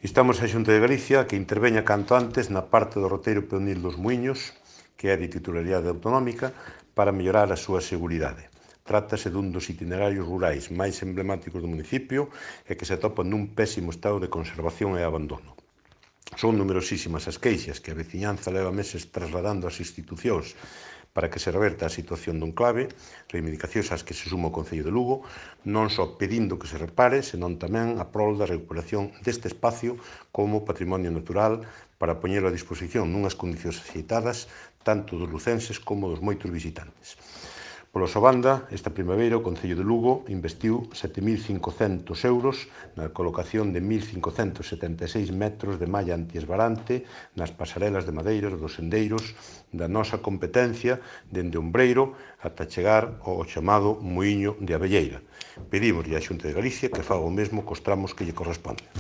Instamos a Xunta de Galicia que interveña canto antes na parte do roteiro peonil dos Muiños, que é de titularidade autonómica, para mellorar a súa seguridade. Trátase dun dos itinerarios rurais máis emblemáticos do municipio e que se atopan nun pésimo estado de conservación e abandono. Son numerosísimas as queixas que a veciñanza leva meses trasladando ás institucións para que se reverta a situación do enclave, reivindicacións ás que se suma o Concello de Lugo, non só pedindo que se repare, senón tamén a prol da recuperación deste espacio como patrimonio natural para poñelo a disposición nunhas condicións axeitadas tanto dos lucenses como dos moitos visitantes. Pola súa banda, esta primavera o Concello de Lugo investiu 7.500 euros na colocación de 1.576 metros de malla antiesbarante nas pasarelas de madeira dos sendeiros da nosa competencia dende Ombreiro ata chegar ao chamado Muíño de Abelleira. Pedímoslle á Xunta de Galicia que faga o mesmo cos tramos que lle corresponden.